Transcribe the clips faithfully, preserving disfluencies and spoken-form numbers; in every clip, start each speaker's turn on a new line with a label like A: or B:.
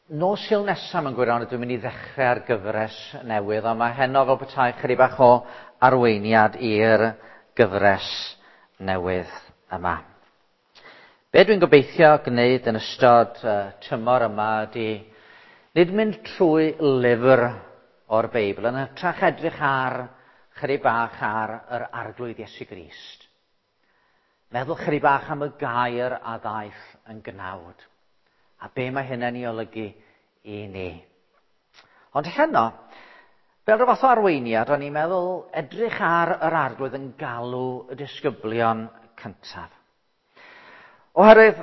A: Nos Sul nesaf mewn gwirionedd dwi'n mynd i ddechrau ar gyfres newydd, ond mae heno fel petai chydig bach o arweiniad i'r gyfres newydd yma. Be dwi'n gobeithio gwneud yn ystod uh, tymor yma ydy nid mynd trwy lyfr o'r Beibl, yn hytrach edrych ar chydig bach ar yr Arglwydd Iesu Grist. Meddwl chydig bach am y gair a ddaeth yn gnawd. A be mae hynny'n ei olygu i ni. Ond heno, fel rhyw fath o arweiniad, o'n i'n meddwl edrych ar yr Arglwydd yn galw y disgyblion cyntaf. Oherwydd,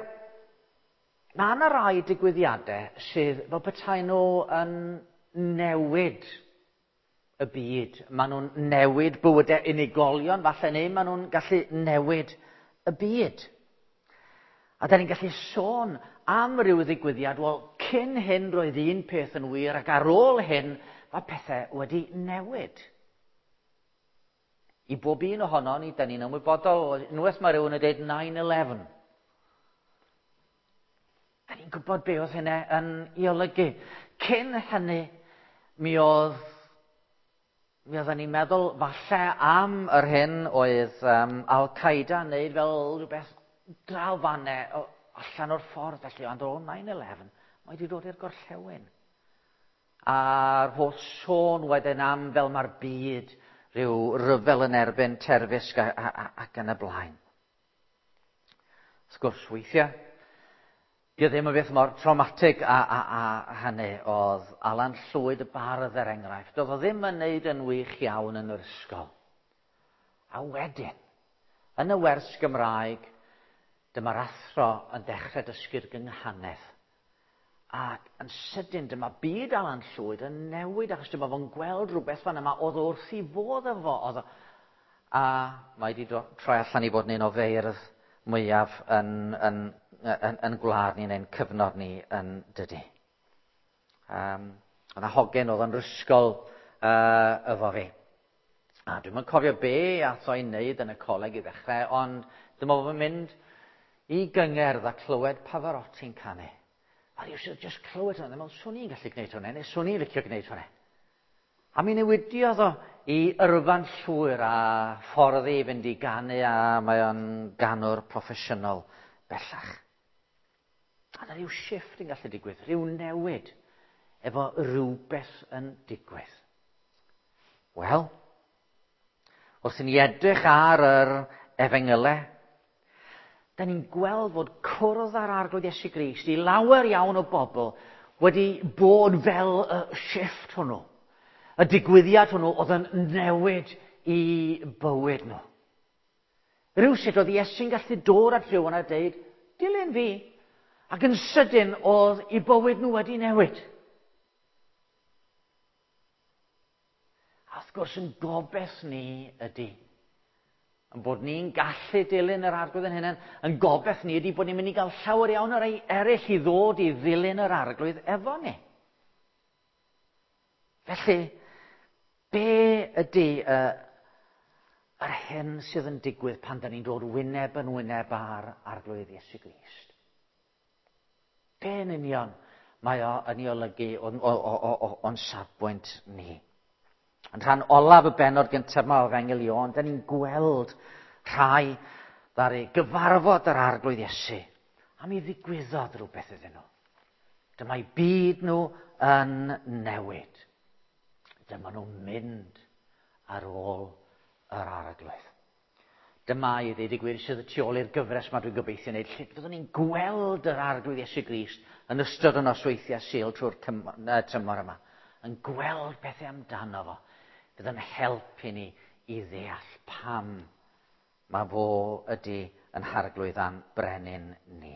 A: mae yna rai digwyddiadau sydd fel petai nhw yn newid y byd. Maen nhw'n newid bywydau unigolion, falle, neu maen nhw'n gallu newid y byd. A da ni'n gallu sôn am ryw ddigwyddiad, wel, cyn hyn roedd un peth yn wir, ac ar ôl hyn mae pethau wedi newid. I bob un ohono ni, da ni'n ymwybodol, unwaith mae rhywun yn dweud nine eleven. Da ni'n gwybod be oedd hynny yn ei olygu. Cyn hynny, mi oedd, mi oedden ni'n meddwl falle am yr hyn oedd um, Al-Qaeda yn neud fel rhywbeth draw fanne, allan o'r ffordd felly, ond o nine eleven, mae wedi dod i'r gorllewin. A'r holl sôn wedyn am fel mae'r byd, rhyw ryfel yn erbyn terfysg a, a, a, ac yn y blaen. Wrth gwrs, weithiau, dio ddim yn beth mor traumatic a, a, a hynny oedd Alan Llwyd y bardd er enghraifft. Doedd o ddim yn neud yn wych iawn yn yr ysgol. A wedyn, yn y wers Gymraeg, dyma'r athro yn dechrau dysgu'r gynghanedd. Ac yn sydyn, dyma byd Alan Llwyd yn newid, achos dyma fo'n gweld rhywbeth fan yma oedd wrth i fodd efo. Oedd o, a mae wedi troi allan i fod yn un o feirdd mwyaf yn, yn, yn, yn gwlad ni, neu'n cyfnod ni yn dydy. Um, oedd 'na hogyn oedd yn ysgol uh, efo fi. A dwi'm yn cofio be ath o'i wneud yn y coleg i ddechrau, ond dyma fo'n mynd i gyngerdd a clywed Pavarotti'n canu. A rhyw just clywed hwnna, meddwl, swn i'n gallu gwneud hwnna, neu swn i'n licio gwneud hwnna. A mi newidiodd o i yrfa'n llwyr a ffordd i fynd i ganu, a mae o'n ganwr proffesiynol bellach. A na rhyw shift yn gallu digwydd, rhyw newid efo rhywbeth yn digwydd. Wel, wrth i ni edrych ar yr efengylau, da ni'n gweld fod cwrdd â'r Arglwydd Iesu Grist i lawer iawn o bobl wedi bod fel y shift hwnnw. Y digwyddiad hwnnw oedd yn newid i bywyd nhw. Rhywsut oedd Iesu'n gallu dod at rhywun a deud, dilyn fi. Ac yn sydyn oedd i bywyd nhw wedi newid. A wrth gwrs yn gobeith ni ydy, yn bod ni'n gallu dilyn yr Arglwydd yn hunain, yn gobeith ni ydy bod ni'n mynd i gael llawer iawn o rai eraill i ddod i ddilyn yr Arglwydd efo ni. Felly, be ydy uh, yr hyn sydd yn digwydd pan da ni'n dod wyneb yn wyneb â'r Arglwydd Iesu Grist? Be yn union mae o yn ei olygu o'n, o, o, o, o, o'n safbwynt ni? Yn rhan olaf y bennod gyntaf yma o Efengyl Ioan, da ni'n gweld rhai ddaru gyfarfod yr Arglwydd Iesu. A mi ddigwyddodd rhywbeth iddyn nhw. Dyma'i byd nhw yn newid. Dyma nhw'n mynd ar ôl yr Arglwydd. Dyma i ddweud y gwir sydd y tu ôl i'r gyfres yma dwi'n gobeithio wneud, lle fyddwn ni'n gweld yr Arglwydd Iesu Grist yn ystod y nosweithiau Sul trwy'r tymor yma. Yn gweld pethau amdano fo. Fydd yn helpu ni i ddeall pam mae fo ydy yn harglwydd a'n brenin ni.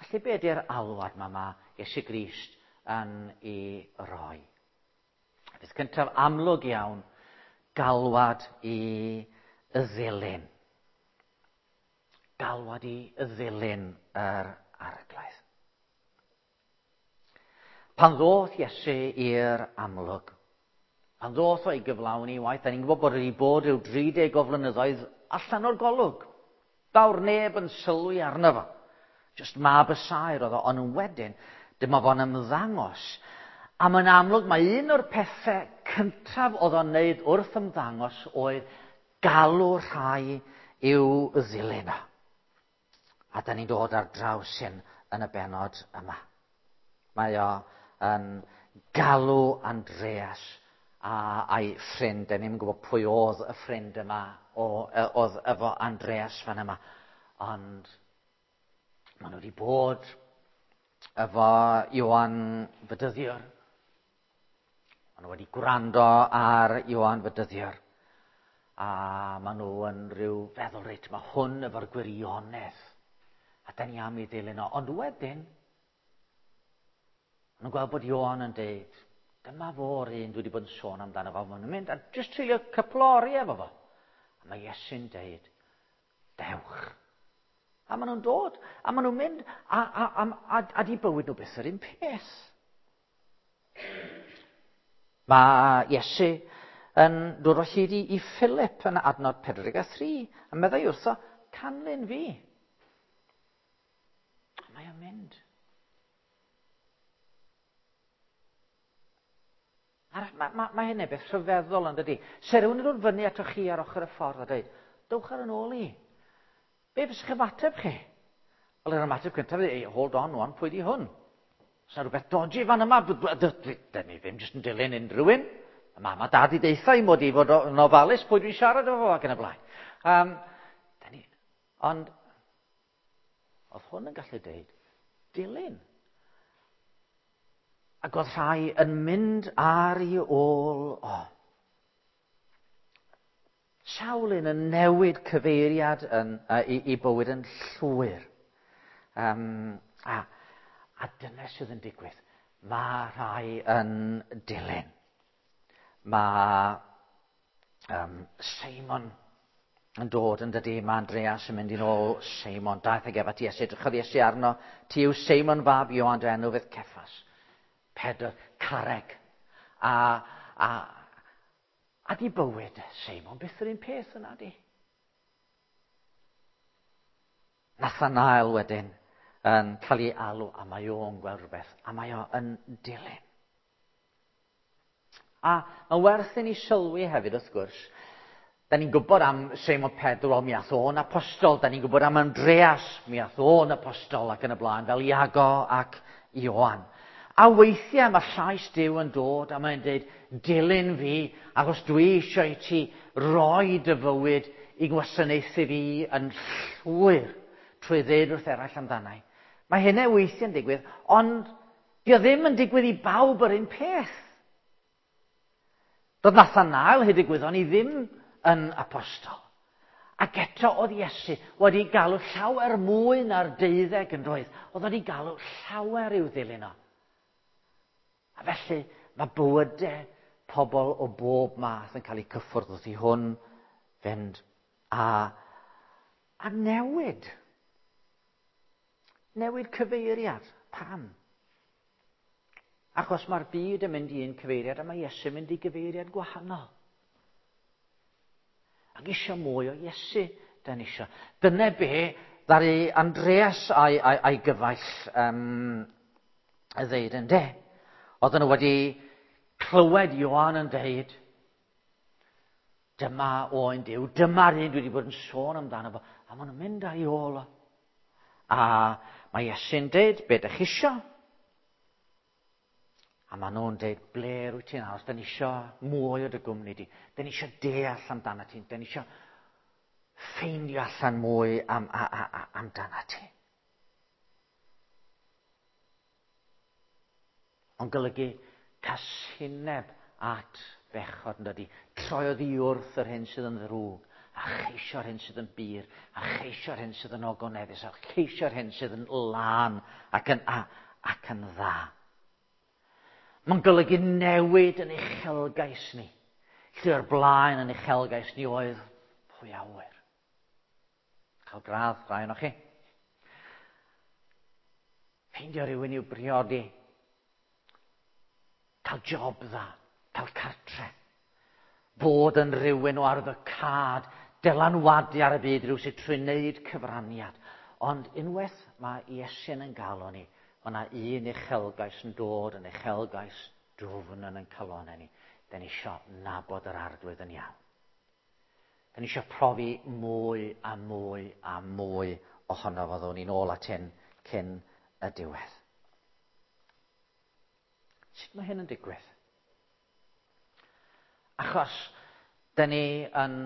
A: Felly be ydy'r alwad ma ma Iesu Grist yn ei roi? Peth cyntaf amlwg iawn, galwad i y ddilyn. Galwad i y ddilyn yr Arglwydd. Pan ddoth Iesu i'r amlwg, pan ddoth o'i gyflawni waith, da ni'n gwybod bod wedi bod ryw dri deg o flynyddoedd allan o'r golwg. Fawr neb yn sylwi arno fo. Just mab y saer oedd o, ond yn wedyn, Dyma fo'n ymddangos. A mae'n amlwg mae un o'r pethau cyntaf oedd o'n wneud wrth ymddangos oedd galw rhai i'w ddilyn o. A da ni'n dod ar draws hyn yn y bennod yma. Mae o yn galw Andreas a, a'i ffrind. Da ni'n gwybod pwy oedd y ffrind yma, o, oedd efo Andreas fan yma. Ond maen nhw wedi bod efo Ioan Fedyddiwr. Maen nhw wedi gwrando ar Ioan Fedyddiwr. A maen nhw yn rhyw feddwl, reit, mae hwn efo'r gwirionedd. A da ni am ei ddilyn o. Ond wedyn, maen nhw'n gweld bod Ioan yn deud, dyma fo'r un dwi wedi bod yn sôn amdano fo. Maen nhw'n mynd a jyst treulio cwpl o oriau efo fo. A mae Iesu'n deud, dewch. A maen nhw'n dod, a maen nhw'n mynd, a, a, a, a, a di bywyd nhw byth yr un peth. Mae Iesu yn dod o hyd i, i Philip yn adnod pedwar deg a thri, a meddai wrtho, canlyn fi. A mae o'n mynd. Mae ma, ma hynny beth rhyfeddol yn dydi. Se rhywun yn dod fyny atoch chi ar ochr y ffordd a dweud, dewch ar yn ôl i. Be fysa'ch ymateb chi? Wel, yr ymateb cyntaf ydy, hold on, wan, pwy di hwn? Oes 'na rhywbeth dodgy fan yma? Dyn ni ddim jyst yn dilyn unrhyw un. Mae mam a dad i deitha i mod i fod yn ofalus pwy dwi'n siarad efo fo ac yn y blaen. Um, ni, ond, oedd hwn yn gallu deud, dilyn. Ac oedd rhai yn mynd ar ei ôl o. Sawl un yn newid cyfeiriad yn, uh, i, i bywyd yn llwyr. Um, a, a dyna sydd yn digwydd. Mae rhai yn dilyn. Mae um, Seimon yn dod yn dydi. Mae Andreas yn mynd i nôl Seimon. Daeth ag ef at Iesu. Edrychodd Iesu arno. Ti yw Seimon fab Ioan, dy enw fydd Ceffas. Pedr, carreg. A, a, a di bywyd Seimon byth yr un peth yna di. Nathanael wedyn yn cael ei alw, a mae o'n gweld rhywbeth, a mae o'n dilyn. A mae werth i ni sylwi hefyd, wrth gwrs, da ni'n gwybod am Seimon Pedr, wel mi ath o'n apostol, da ni'n gwybod am Andreas, mi ath o'n apostol ac yn y blaen, fel Iago ac Ioan. A weithiau mae llais Duw yn dod a mae'n dweud, dilyn fi, achos dwi eisiau i ti roi dy fywyd i gwasanaethu fi yn llwyr trwy ddeud wrth eraill amdanau. Mae hynny weithiau'n digwydd, ond dio ddim yn digwydd i bawb yr un peth. Doedd Nathanael hyd y gwyddon i ddim yn apostol. Ac eto oedd Iesu wedi galw llawer mwy na'r deuddeg yn doedd. Oedd wedi galw llawer i'w ddilyn o. A felly mae bywydau pobl o bob math yn cael eu cyffwrdd wrth i hwn fynd a, a newid. Newid cyfeiriad. Pam? Achos mae'r byd yn mynd i un cyfeiriad a mae Iesu yn mynd i gyfeiriad gwahanol. Ac eisiau mwy o Iesu, da ni eisiau. Dyna be ddaru Andreas a'i, a'i, a'i gyfaill um, y ddeud yn de. Oedden nhw wedi clywed Ioan yn deud, dyma oen Duw, dyma'r un dwi wedi bod yn sôn amdano fo, a maen nhw'n mynd ar ei ôl o. A mae Iesu'n deud, be dych chi isio? A maen nhw'n deud, ble rwyt ti'n aros? Da ni isio mwy o dy gwmni di. Da ni isio deall amdano ti. Da ni isio ffeindio allan mwy am, a, a, a, amdano ti. Ond golygu casineb at bechod yn dydi. Troi oddi wrth yr hyn sydd yn ddrwg, a cheisio'r hyn sydd yn bur, a cheisio'r hyn sydd yn ogoneddus, a cheisio'r hyn sydd yn lân ac yn, a, ac yn dda. Mae'n golygu newid yn uchelgais ni. Lle o'r blaen yn uchelgais ni oedd pwy awyr. Cael gradd, rhai ohonoch chi. Ffeindio rhywun i'w briodi. Cael job dda, cael cartre. Bod yn rhywun o arwyddocâd, dylanwadu ar y byd, rhyw sydd trwy wneud cyfraniad. Ond unwaith mae Iesu'n yn galw ni, Mae yna un uchelgais yn dod yn uchelgais dwfn yn ein calonnau ni. Da ni isio nabod yr Arglwydd yn iawn. Da ni isio profi mwy a mwy a mwy ohono fo. Ddown ni'n ôl at hyn cyn y diwedd. Sut mae hyn yn digwydd? Achos da ni yn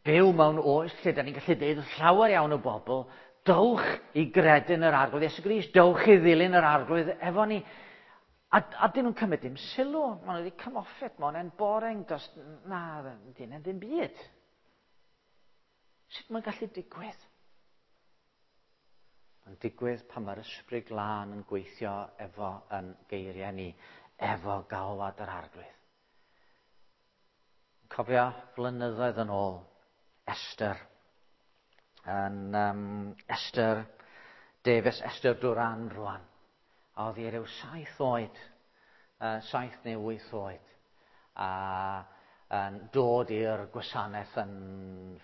A: byw mewn oes lle da ni'n gallu deud wrth llawer iawn o bobl, dowch i gredu yn yr Arglwydd Iesu Grist, dowch i ddilyn yr Arglwydd efo ni. A, a dyn nhw'n cymryd dim sylw. Maen nhw wedi come off it, mae hwnna'n boring, dos, na, dyn nhw'n ddim byd. Sut mae'n gallu digwydd? Mae'n digwydd pan mae'r Ysbryd Glân yn gweithio efo yn geiriau ni, efo galwad yr Arglwydd. Cofio flynyddoedd yn ôl, Esther, yn um, Esther Davies, Esther Duran rwan. A oedd hi ryw saith oed, uh, saith neu wyth oed, a yn dod i'r gwasanaeth yn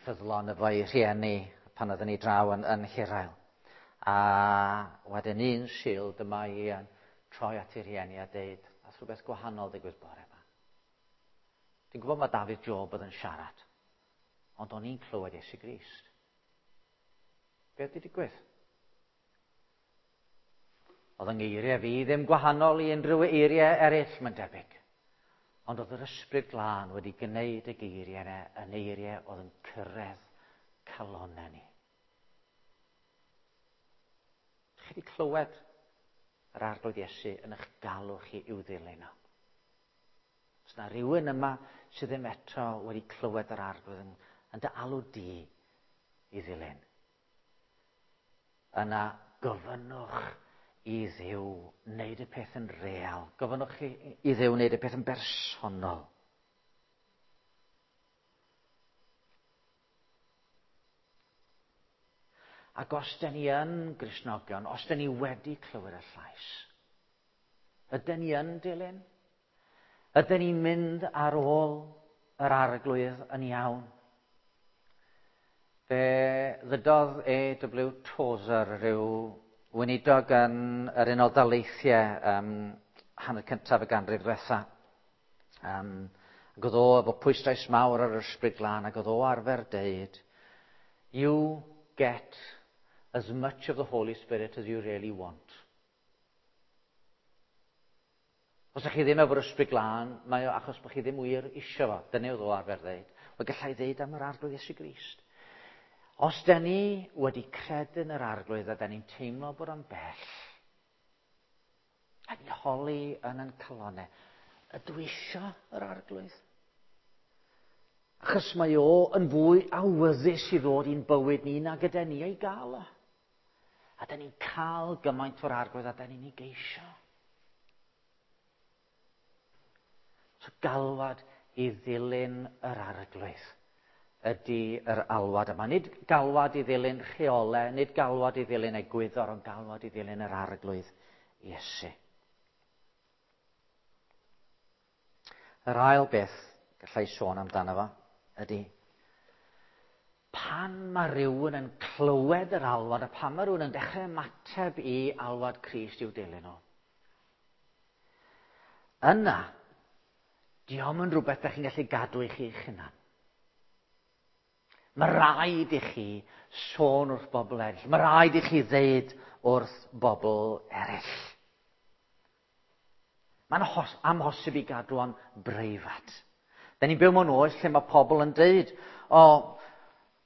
A: ffyddlon efo'i rhieni pan oedden ni draw yn, yn Hirael. A wedyn un Sul, dyma hi yn troi at ei rhieni a deud, a rhywbeth gwahanol ddigwydd bore yma. Dwi'n gwybod mae Dafydd Job oedd yn siarad, ond o'n i'n clywed Iesu Grist. Be oedd wedi digwydd? Oedd yng ngeiriau fi ddim gwahanol i unrhyw eiriau eraill, mae'n debyg. Ond oedd yr Ysbryd Glân wedi gwneud y geiriau yna yn eiriau oedd yn cyrraedd calonnau ni. Chi wedi clywed yr Arglwydd Iesu yn eich galw chi i'w ddilyn o? Os na rhywun yma sydd ddim eto wedi clywed yr Arglwydd yn, yn dy alw di i ddilyn, yna gofynnwch i Dduw wneud y peth yn real. Gofynnwch i, i Dduw wneud y peth yn bersonol. Ac os da ni yn Gristnogion, os da ni wedi clywed y llais, ydyn ni yn dilyn? Ydyn ni'n mynd ar ôl yr Arglwydd yn iawn? Fe ddydodd A W Tozer, rhyw weinidog yn yr Unol Daleithiau um, hanner cyntaf y ganrif ddiwetha. Um, ac oedd o efo pwyslais mawr ar yr Ysbryd Glân, ac oedd o arfer deud, you get as much of the Holy Spirit as you really want. Os ydych chi ddim efo'r Ysbryd Glân, mae o achos bod chi ddim wir isio fo. Dyna oedd o arfer ddeud. Wel, gallai ddeud am yr Arglwydd Iesu Grist. Os da ni wedi credu yn yr Arglwydd a da ni'n teimlo bod o'n bell, a ni'n holi yn ein calonnau, ydw i isio yr Arglwydd? Achos mae o yn fwy awyddus i ddod i'n bywyd ni na gyda ni ei gael o. A da ni'n cael gymaint o'r Arglwydd a da ni'n ei geisio. So galwad i ddilyn yr Arglwydd ydy yr alwad yma. Nid galwad i ddilyn rheolau, nid galwad i ddilyn egwyddor, ond galwad i ddilyn yr Arglwydd Iesu. Yr ail beth gallai sôn amdano fo ydy pan mae rhywun yn clywed yr alwad a pan mae rhywun yn dechrau ymateb i alwad Crist i'w dilyn o, yna, dio'm yn rhywbeth da chi'n gallu gadw i chi'ch hunan. Mae rhaid i chi sôn wrth bobl eraill. Mae rhaid i chi ddeud wrth bobl eraill. Mae'n amhosib i gadw o'n breifat. Da ni'n byw mewn oes lle mae pobl yn deud, o,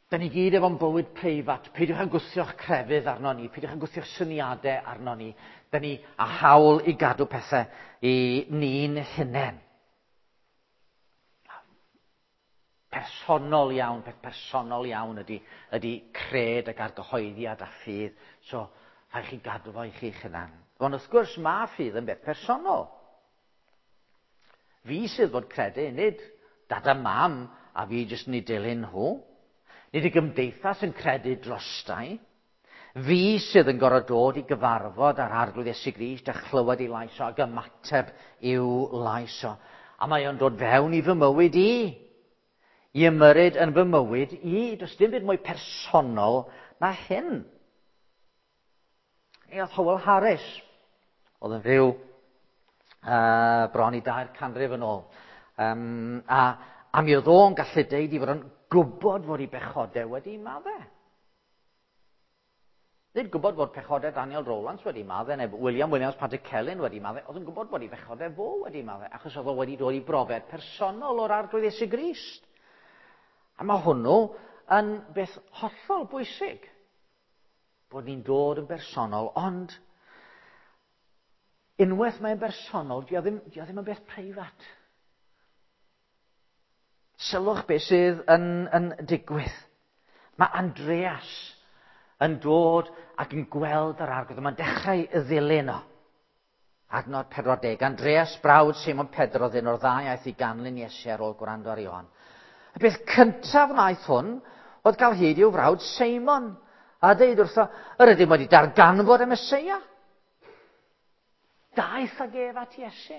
A: da ni gyd efo'n bywyd preifat, peidiwch â gwthio'ch crefydd arno ni, peidiwch â gwthio'ch syniadau arno ni. Da ni â hawl i gadw pethau i ni'n hunain. Personol iawn, peth personol iawn ydy, ydy cred ac argyhoeddiad a ffydd. So, rhaid chi gadw fo i chi'ch hunan. Ond wrth gwrs, mae ffydd yn beth personol. Fi sydd fod credu, nid dad a mam a fi jyst yn ei dilyn nhw. Nid y gymdeithas yn credu drostai. Fi sydd yn gorfod dod i gyfarfod â'r Arglwydd Iesu Grist a chlywed ei lais o ac ymateb i'w lais o. A mae o'n dod fewn i fy mywyd i. I ymyrryd yn fy mywyd i. Does dim byd mwy personol na hyn. Neu oedd Howell Harris, oedd yn fyw uh, bron i dair canrif yn ôl. Um, a, a mi oedd o'n gallu deud i fod yn gwybod fod ei bechodau wedi maddau. Nid gwybod fod pechodau Daniel Rowlands wedi maddau, neu William Williams Pantycelyn wedi maddau, oedd yn gwybod bod ei bechodau fo wedi maddau, achos oedd o wedi dod i brofiad personol o'r Arglwydd Iesu Grist. A mae hwnnw yn beth hollol bwysig, bod ni'n dod yn bersonol, ond unwaith mae'n bersonol, dio ddim, dio ddim yn beth preifat. Sylwch beth sydd yn, yn digwydd. Mae Andreas yn dod ac yn gweld yr Arglwydd. Mae'n dechrau y ddilyn o. Adnod pedwar deg. Andreas, brawd Simon Pedr, oedd un o'r ddau aeth i ganlyn Iesu ar ôl gwrando ar Ioan. Y peth cyntaf wnaeth hwn oedd cael hyd i'w frawd Simon a deud wrtho, yr ydym wedi darganfod y Meseia. Daeth ag ef at Iesu.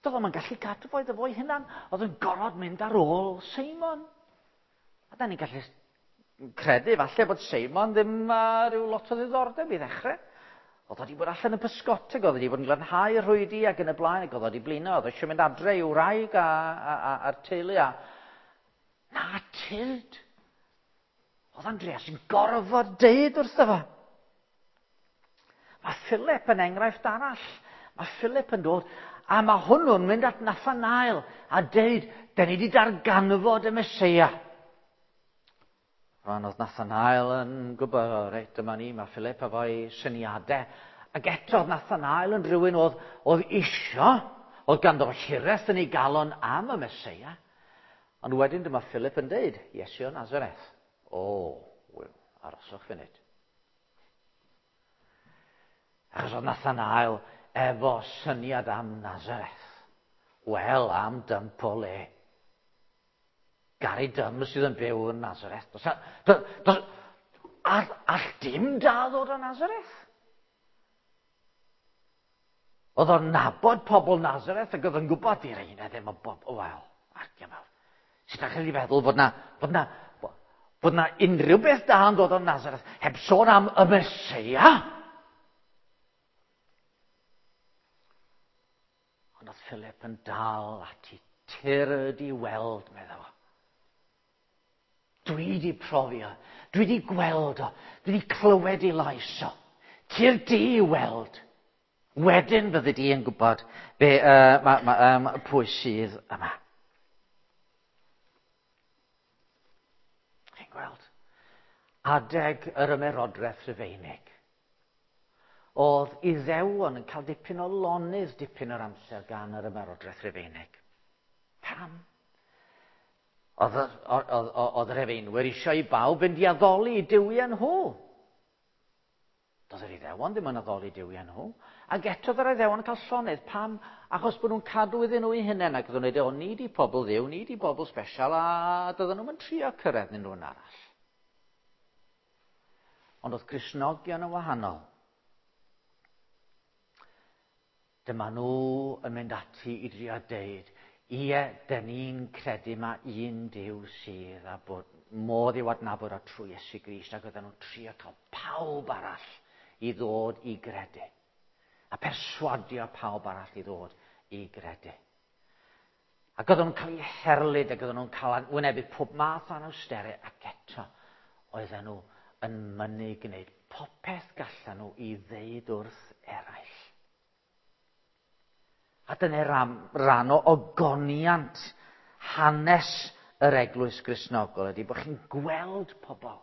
A: Doedd o'm yn gallu cadw fo iddo fo'i hunan. Oedd yn gorfod mynd ar ôl Simon. A da ni'n gallu credu falle bod Simon ddim uh, rhyw lot o ddiddordeb i ddechrau. Oedd o wedi bod allan yn pysgoteg, oedd wedi bod yn glanhau rhwydi ac yn y blaen, ac oedd o wedi blino, oedd eisiau mynd adre i'w wraig a, a, a, a'r teulu. A... Na, tyrd. Oedd Andreas yn gorfod deud wrtho fo. Mae Philip yn enghraifft arall. Mae Philip yn dod, a mae hwnnw'n mynd at Nathanael a deud, da ni wedi darganfod y Meseia. Rwan oedd Nathanael yn gwybod, o, reit, dyma ni, mae Philip efo'i syniadau. Ac eto oedd Nathanael yn rhywun oedd, oedd isio, oedd ganddo hiraeth yn ei galon am y Meseia. Ond wedyn dyma Philip yn deud, Iesu o Nazareth. O, wel, aroswch funud. Achos oedd Nathanael efo syniad am Nazareth. Wel, am dymp o le. Gary Dym sydd yn byw yn Nazareth. Dos, dos, dos, all, all dim da ddod o Nazareth. Oedd o'n nabod pobl Nazareth ac oedd yn gwybod i'r ein ddim o bobl. Wel, ardia mawr. Sut ydych chi'n feddwl bod na, bod na, bod na unrhyw beth da yn dod o Nazareth heb sôn am y Meseia? Ond oedd Philip yn dal ati, tyrd i weld, meddwl. Dwi wedi profi o, dwi wedi gweld o, dwi wedi clywed ei lais o. Tyrd di i weld. Wedyn fyddi di yn gwybod be, uh, ma, ma, um, pwy sydd yma. Chi'n gweld? Adeg yr ymerodraeth Rufeinig. Oedd Iddewon yn cael dipyn o lonydd dipyn o'r amser gan yr ymerodraeth Rufeinig. Pam? Oedd, oedd, oedd yr Rufeinwyr eisiau i bawb fynd i addoli i duwiau nhw. Doedd yr Iddewon ddim yn addoli duwiau nhw. Ac eto oedd yr Iddewon yn cael llonydd. Pam? Achos bod nhw'n cadw iddyn nhw eu hunain ac oedden nhw'n dweud, o, ni di pobl Dduw, ni di bobl special, a doedden nhw'n trio cyrraedd unrhyw un arall. Ond oedd Cristnogion yn wahanol. Dyma nhw yn mynd ati i drio deud, ie, dyn ni'n credu mae un Duw sydd a bod modd i'w adnabod o trwy Iesu Grist, ac oedden nhw'n trio cael pawb arall i ddod i gredu. A perswadio pawb arall i ddod i gredu. Ac oedden nhw'n cael eu herlid, ac oedden nhw'n cael wynebu pob math o anawsterau, ac eto oedden nhw yn mynnu gwneud popeth gallan nhw i ddeud wrth eraill. A dyna ran, ran o ogoniant hanes yr Eglwys Gristnogol ydy bod chi'n gweld pobl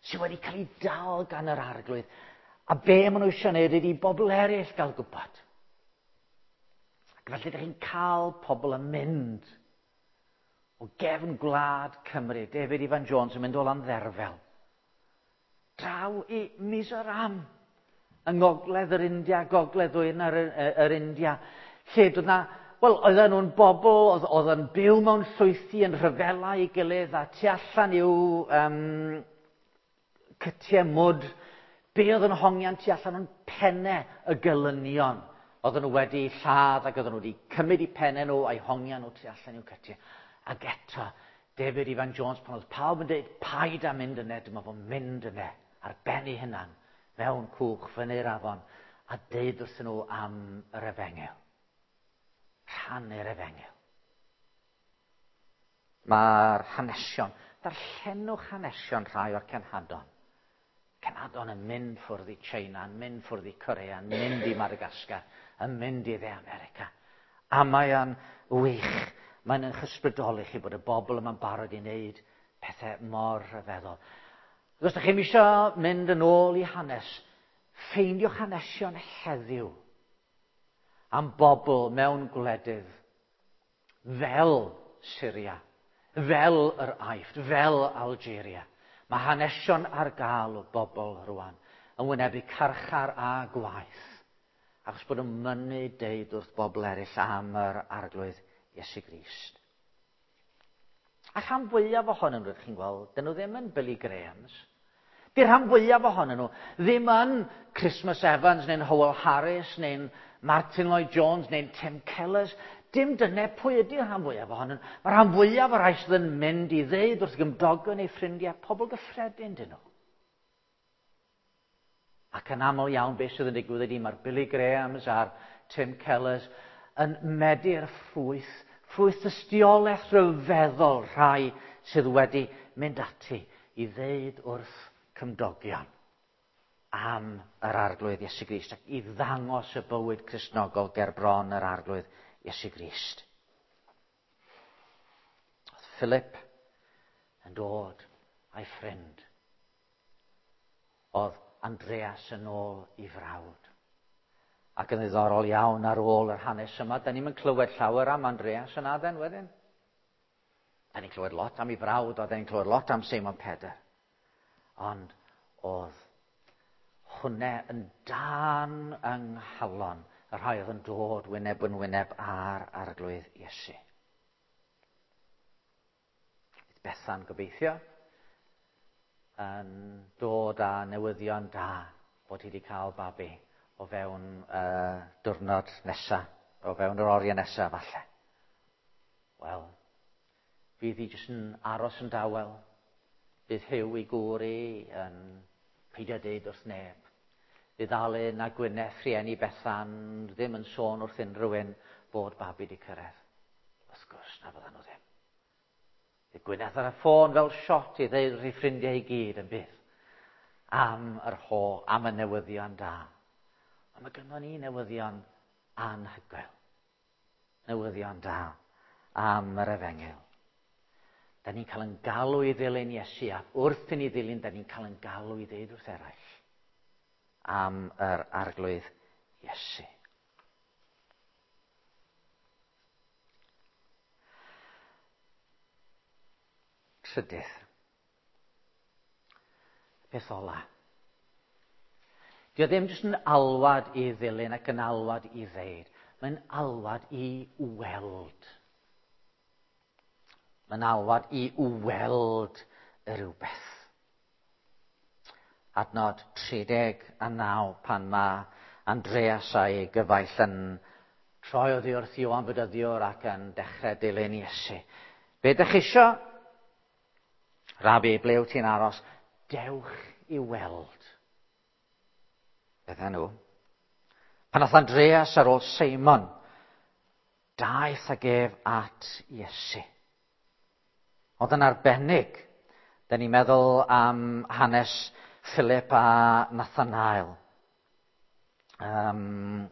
A: sydd wedi cael eu dal gan yr Arglwydd, a be maen nhw eisiau gwneud ydy bobl eraill gael gwybod. Ac felly ydych chi'n cael pobl yn mynd o gefn gwlad Cymru, David Ifan Jones yn mynd o Landderfel, draw i Mizoram, yng ngogledd yr India, gogledd ddwyrain yr, yr India, lle doedd na, wel, oedden nhw'n bobl, oedd, oedd yn byw mewn llwythi yn rhyfela i gilydd a tu allan i'w um, cytiau mwd, be oedd yn hongian tu allan yn pennau y gelynion. Oedden nhw wedi lladd ac oedden nhw wedi cymryd eu pennau nhw a'i hongian nhw tu allan i'w cytiau. Ac eto, David Ifan Jones, pan oedd pawb yn dweud, paid â mynd yna, dyma fo'n mynd yna, ar ben ei hunan, mewn cwch fyny'r afon a deud wrthyn nhw am yr efengyl. Rhannu'r efengyl. Mae'r hanesion, darllenwch hanesion rhai o'r cenhadon. Cenhadon yn mynd ffwrdd i China, yn mynd ffwrdd i Korea, yn mynd i Madagascar, yn mynd i Dde America. A mae o'n wych. Mae'n eich ysbrydoli chi bod y bobl yma'n barod i wneud pethau mor rhyfeddol. Os ydych chi'n eisiau mynd yn ôl i hanes, ffeindiwch hanesion heddiw am bobl mewn gwledydd fel Syria, fel yr Aifft, fel Algeria. Mae hanesion ar gael o bobl rwan yn wynebu carchar a gwaith, achos bod yn mynnu deud wrth bobl eraill am yr Arglwydd Iesu Grist. A rhan fwyaf ohonyn nhw, ydych chi'n gweld, dyn nhw ddim yn Billy Grahams. Di'r rhan fwyaf ohonyn nhw ddim yn Christmas Evans neu'n Howell Harris neu'n Martin Lloyd Jones neu'n Tim Kellers. Dim dyna pwy ydy'r rhan fwyaf ohonyn nhw. Mae'r rhan fwyaf o'r rhai sydd yn mynd i ddeud wrth gymdogion neu ffrindiau, pobl gyffredin dyn nhw. Ac yn aml iawn beth sydd yn digwydd ydy mae'r Billy Grahams a'r Tim Kellers yn medi'r ffrwyth, ffrwyth tystiolaeth rhyfeddol rhai sydd wedi mynd ati i ddeud wrth cymdogion am yr Arglwydd Iesu Grist ac i ddangos y bywyd Cristnogol ger bron yr Arglwydd Iesu Grist. Oedd Philip yn dod a'i ffrind. Oedd Andreas yn ôl i frawd. Ac yn ddiddorol iawn ar ôl yr hanes yma, da ni'n clywed llawer am Andreas yn Aden wedyn. Da ni'n clywed lot am ei frawd, a da ni'n clywed lot am Seimon Pedr. Ond oedd hwnne yn dan yng nghalon y rhai oedd yn dod wyneb yn wyneb ar Arglwydd Iesu. Bethan gobeithio yn dod â newyddion da bod hi wedi cael babi o fewn uh, diwrnod nesa, o fewn yr oriau nesa falle. Wel, fydd hi jyst yn aros yn dawel. Bydd Huw i gŵr i yn peidio deud wrth neb. Bydd Alun a Gwyneth, rhieni Bethan, ddim yn sôn wrth unrhyw un bod babi wedi cyrraedd. Wrth gwrs na fyddan nhw ddim. Bydd Gwyneth ar y ffôn fel shot i ddeud wrth ei ffrindiau i gyd yn bydd am yr ho, am y newyddion da. Ond mae gynnon ni newyddion anhygoel. Newyddion da am yr efengyl. Da ni'n cael yn galw i ddilyn Iesu, a wrth i ni ddilyn, da ni'n cael yn galw i ddeud wrth eraill am yr Arglwydd Iesu. Trydydd. Peth ola. Dio ddim jyst yn alwad i ddilyn ac yn alwad i ddeud. Mae'n alwad i weld. Mae'n alwad i weld y rhywbeth. Adnod tri deg a naw pan mae Andreas a'i gyfaill yn troi oddi wrth Ioan Fedyddiwr ac yn dechrau dilyn Iesu. Be ydych chi isio? Rabi, ble wyt ti'n aros? Dewch i weld. Bydden nhw. Pan ath Andreas ar ôl Seimon, daeth ag ef at Iesu. Oedd yn arbennig. Da ni'n meddwl am hanes Philip a Nathanael. Um,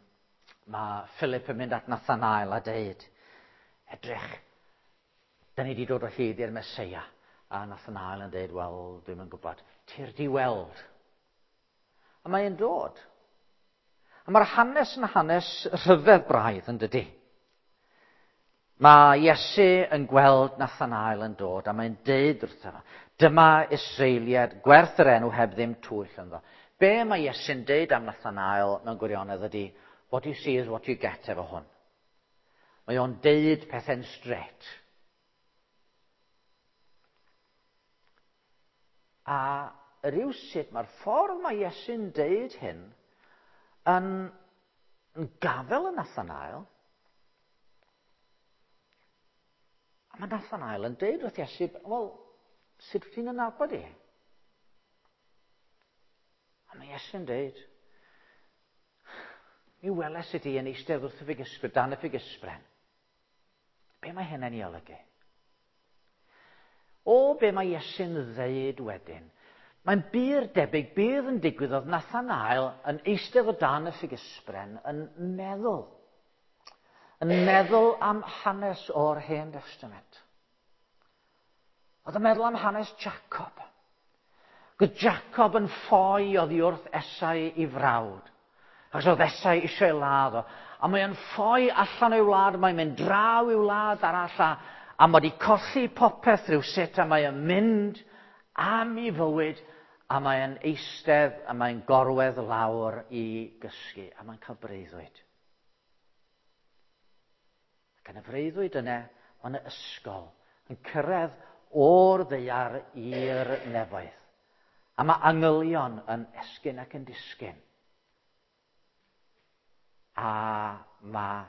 A: mae Philip yn mynd at Nathanael a deud, edrych, da ni wedi dod o hyd i'r Meseia. A Nathanael yn deud, wel, dwi'm yn gwybod, ti'r di weld. A mae'n dod. A mae'r hanes yn hanes rhyfedd braidd yn dydi. Mae Iesu yn gweld Nathanael yn dod a mae'n deud wrtho fo, dyma Israeliad gwerth yr enw heb ddim twyll ynddo. Be mae Iesu'n deud am Nathanael mewn gwirionedd ydy, what you see is what you get efo hwn. Mae o'n deud pethau'n straight. A rywsut mae'r ffordd mae Iesu'n deud hyn yn, yn gafel yn Nathanael. A mae Nathanael yn deud wrth Iesu, wel, sut wyt ti'n nabod i? A mae Iesu'n dweud, mi weles i di yn eistedd wrth y ffigysbren, dan y ffigysbren. Be mae hynny'n ei olygu? O, be mae Iesu'n ddeud wedyn? Mae'n bur debyg bydd yn digwydd oedd Nathanael yn eistedd o dan y ffigysbren yn meddwl. Yn meddwl am hanes o'r Hen Testament. Oedd yn meddwl am hanes Jacob. Gwyd Jacob yn ffoi oddi wrth Esau i frawd. Achos oedd Esau eisiau ei ladd o. A mae'n ffoi allan o'i wlad, mae'n mynd draw i'w wlad arall a, a mae wedi colli popeth rhywsut a mae'n mynd am ei fywyd a mae'n eistedd a mae'n gorwedd lawr i gysgu a mae'n cael breuddwyd. Ac yn y freuddwyd yna, mae yna ysgol yn cyrraedd o'r ddaear i'r nefoedd. A mae angylion yn esgyn ac yn disgyn. A mae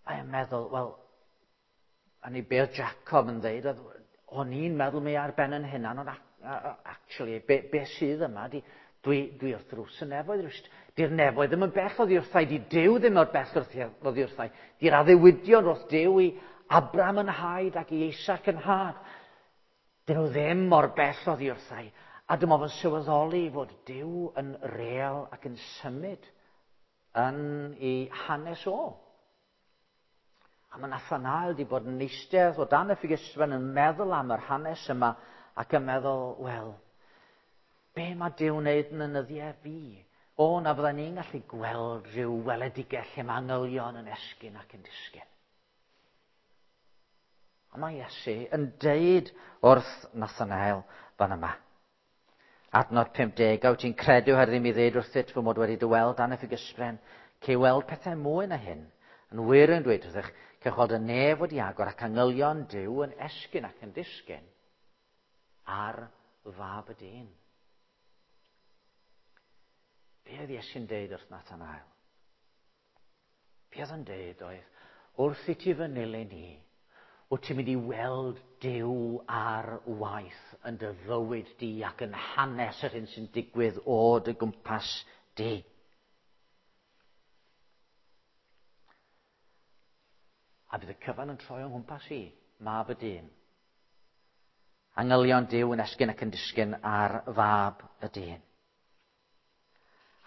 A: mae'n meddwl, wel, a ni be oedd Jacob yn dweud, oedd, o'n i'n meddwl mi ar ben yn hunan, ond actually, be, be sydd yma, di, dwi, dwi wrth drws y nefoedd, di'r nefoedd ddim yn bell oddi wrthai, di Duw ddim o'r bell oddi wrthai, di'r addewidion wrth Duw i Abraham yn haid ac i Isaac yn had. Dyn nhw ddim mor bell oddi wrthai. A dyma fo'n sylweddoli fod Duw yn real ac yn symud yn ei hanes o. A mae Nathanael wedi bod yn eistedd o dan y ffigysfen yn meddwl am yr hanes yma ac yn meddwl, wel, be mae Duw wneud yn y nyddiau fi? O, na fydda ni'n gallu gweld rhyw weledigaeth lle mae angylion yn esgyn ac yn disgyn. A mae Iesu yn deud wrth Nathanael fan yma. Adnod pump deg, a wyt ti'n credu oherwydd i mi ddweud wrthyt fy mod wedi dy weld dan y ffigysbren, cei weld pethau mwy na hyn. Yn wir yn dweud wrthych, cewch weld y nef wedi agor ac angylion Duw yn esgyn ac yn disgyn ar fab y dyn. Be oedd Iesu'n deud wrth Nathanael? Be oedd yn deud oedd, wrth i ti fy nilyn i, wyt ti'n mynd i weld Duw ar waith yn dy fywyd di ac yn hanes yr hyn sy'n digwydd o dy gwmpas di. A bydd y cyfan yn troi o'n nghwmpas i, mab y dyn. Angylion Duw yn esgyn ac yn disgyn ar fab y dyn.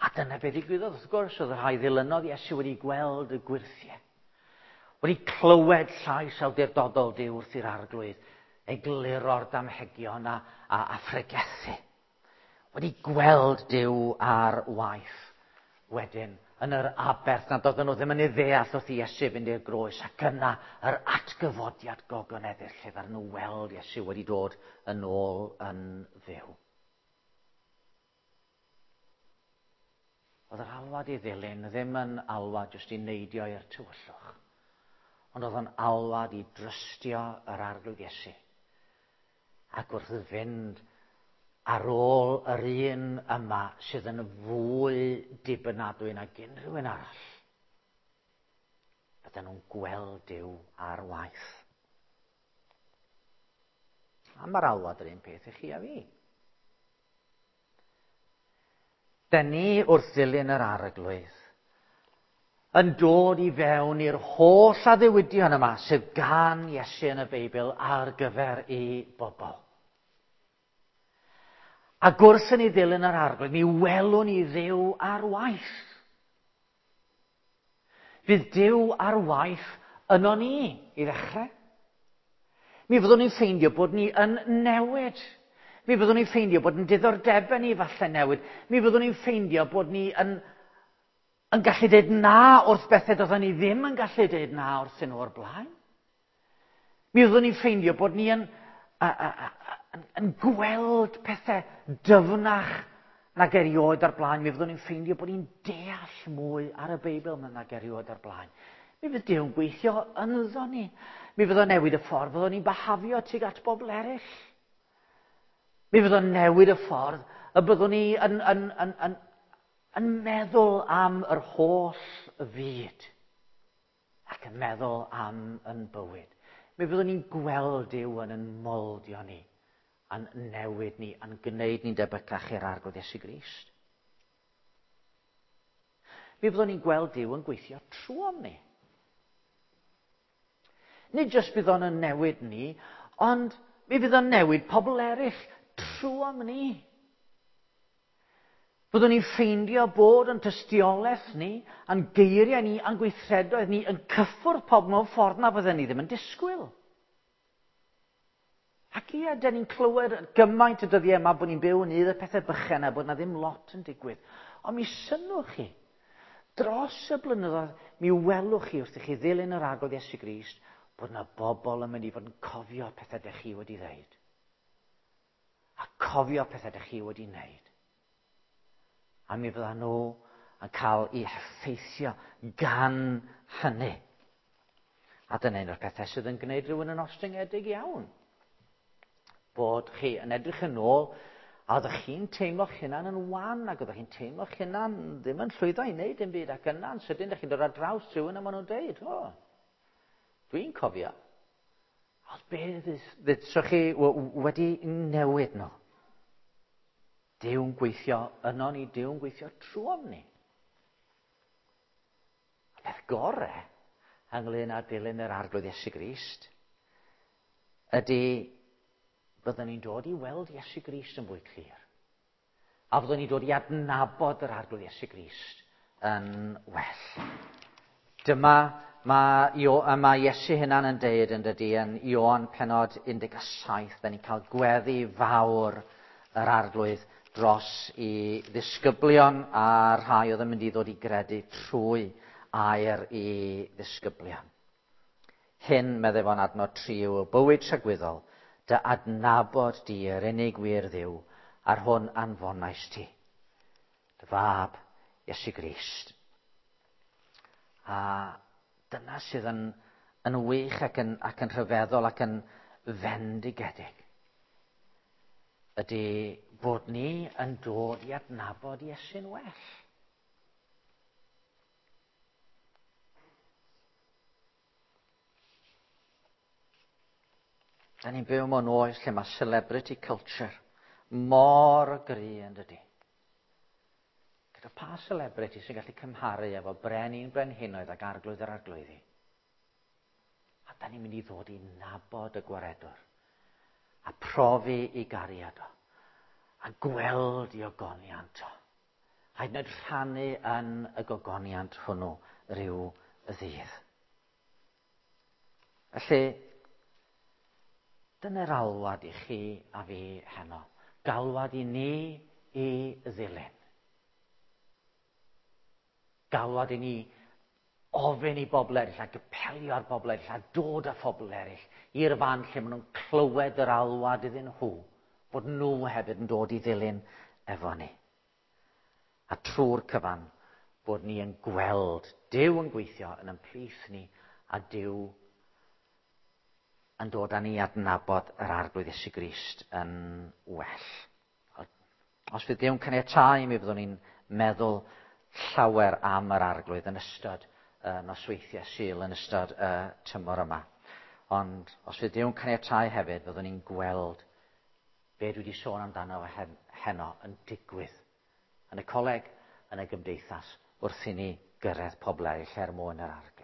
A: A dyna be ddigwyddodd, wrth gwrs, oedd y rhai ddilynodd Iesu wedi gweld y gwyrthiau. Wedi clywed llais awdurdodol Duw wrth i'r arglwydd, egluro'r damhegion a, a, a phregethu. Wedi gweld Duw ar waith wedyn yn yr aberth nad oedden nhw ddim yn ei ddeall wrth i Iesu fynd i'r groes, ac yna yr atgyfodiad gogoneddus lle ddaru nhw weld Iesu wedi dod yn ôl yn fyw. Oedd yr alwad i ddilyn ddim yn alwad jyst i neidio i'r tywyllwch, ond oedd yn alwad i drystio yr arglwydd Iesu. Ac wrth fynd ar ôl yr un yma sydd yn fwy dibynadwy nag unrhyw un arall, bydden nhw'n gweld Duw ar waith. A mae'r alwad yr un peth i chi a fi. Den ni wrth ddilyn yr arglwydd yn dod i fewn i'r holl addewidion yma sydd gan Iesu yn y Beibl ar gyfer ei bobl. Ac wrth i ni ddilyn yr arglwydd, mi welwn ni Dduw ar waith. Fydd Duw ar waith yno ni i ddechrau. Mi fyddwn ni'n ffeindio bod ni yn newid. Mi fyddwn ni'n ffeindio bod yn diddordebau ni falle newid. Mi fyddwn ni'n ffeindio bod ni yn, yn gallu dweud na wrth bethau doedden ni ddim yn gallu dweud na wrthyn nhw o'r blaen. Mi fyddwn ni'n ffeindio bod ni yn, a, a, a, yn, yn gweld pethau dyfnach nag erioed o'r blaen. Mi fyddwn ni'n ffeindio bod ni'n deall mwy ar y Beibl nag erioed o'r blaen. Mi fydd Duw'n gweithio ynddo ni. Mi fydd o'n newid y ffordd fyddwn ni'n behafio tuag at bobl eraill. Mi fydd o'n newid y ffordd y byddwn ni yn, yn, yn, yn, yn meddwl am yr holl fyd ac yn meddwl am yn bywyd. Mi fyddwn ni'n gweld Duw yn yn moldio ni a'n newid ni, a'n gwneud ni'n debycach i'r Arglwydd Iesu Grist. Mi fyddwn ni'n gweld Duw yn gweithio trwom ni. Nid jyst bydd o'n yn newid ni, ond mi fydd o'n newid pobl eraill trwom ni. Byddwn ni'n ffeindio bod yn tystiolaeth ni, a'n geiriau ni, a'n gweithredoedd ni yn cyffwrdd pobl mewn ffordd na fydden ni ddim yn disgwyl. Ac ie, dyn ni'n clywed gymaint y dyddiau yma bod ni'n byw yn un y pethau bychan a bod na ddim lot yn digwydd. Ond mi synnwch chi, dros y blynyddoedd, mi welwch chi wrth i chi ddilyn yr Arglwydd Iesu Grist bod na bobl yn mynd i fod yn cofio pethau dych chi wedi ddeud. A cofio pethau dych chi wedi wneud. A mi fyddan nhw yn cael eu heffeithio gan hynny. A dyna un o'r pethau sydd yn gwneud rhywun yn ostyngedig iawn. Bod chi yn edrych yn ôl, a oeddech chi'n teimlo'ch hunan yn wan, ac oeddech chi'n teimlo'ch hunan ddim yn llwyddo i wneud dim byd, ac yna'n sydyn, dych chi'n dod ar draws rhywun a maen nhw'n deud, o, dwi'n cofio. Oedd be ddysgwch chi wedi newid nhw? Duw'n gweithio yno ni, Duw'n gweithio trwom ni. A peth gore ynglyn â dilyn yr Arglwydd Iesu Grist ydy byddwn ni'n dod i weld Iesu Grist yn fwy clir. A byddwn ni'n dod i adnabod yr Arglwydd Iesu Grist yn well. Dyma mae, mae Iesu hunan yn deud yn dydy yn Ioan pennod un deg saith, da ni'n cael gweddi fawr yr Arglwydd dros i ddisgyblion a rhai oedd yn mynd i ddod i gredu trwy air i ddisgyblion. Hyn, meddai fo'n adnod tri, yw y bywyd tragwyddol, dy adnabod di yr unig wir Dduw, a'r hwn anfonais ti, dy fab Iesu Grist. A dyna sydd yn, yn wych ac yn, ac yn rhyfeddol ac yn fendigedig, ydy bod ni yn dod i adnabod Iesu'n well. Da ni'n byw mewn oes lle mae celebrity culture mor gry yn dydy. Gyda pa celebrity sy'n gallu cymharu efo brenin brenhinoedd ac arglwydd yr arglwyddi? A da ni'n mynd i ddod i nabod y gwaredwr a profi i gariad o, a gweld i ogoniant o. A hyd yn oed rhannu yn y gogoniant hwnnw rhyw ddydd. Felly, dyna'r alwad i chi a fi heno. Galwad i ni i ddilyn. Galwad i ni ofyn i bobl eraill, a apelio ar bobl eraill, a dod â phobl eraill i'r fan lle maen nhw'n clywed yr alwad iddyn nhw, bod nhw hefyd yn dod i ddilyn efo ni. A trwy'r cyfan, bod ni yn gweld Duw yn gweithio yn ein plith ni, a Duw yn dod â ni adnabod yr Arglwydd Iesu Grist yn well. Os fydd Duw'n caniatáu, mi fyddwn ni'n meddwl llawer am yr Arglwydd yn ystod y nosweithiau Sul, yn ystod y tymor yma. Ond os fydd Duw'n caniatáu hefyd, fyddwn ni'n gweld be dwi wedi sôn amdano heno yn digwydd yn y coleg, yn y gymdeithas, wrth i ni gyrraedd pobl eraill er mwyn yr Arglwydd.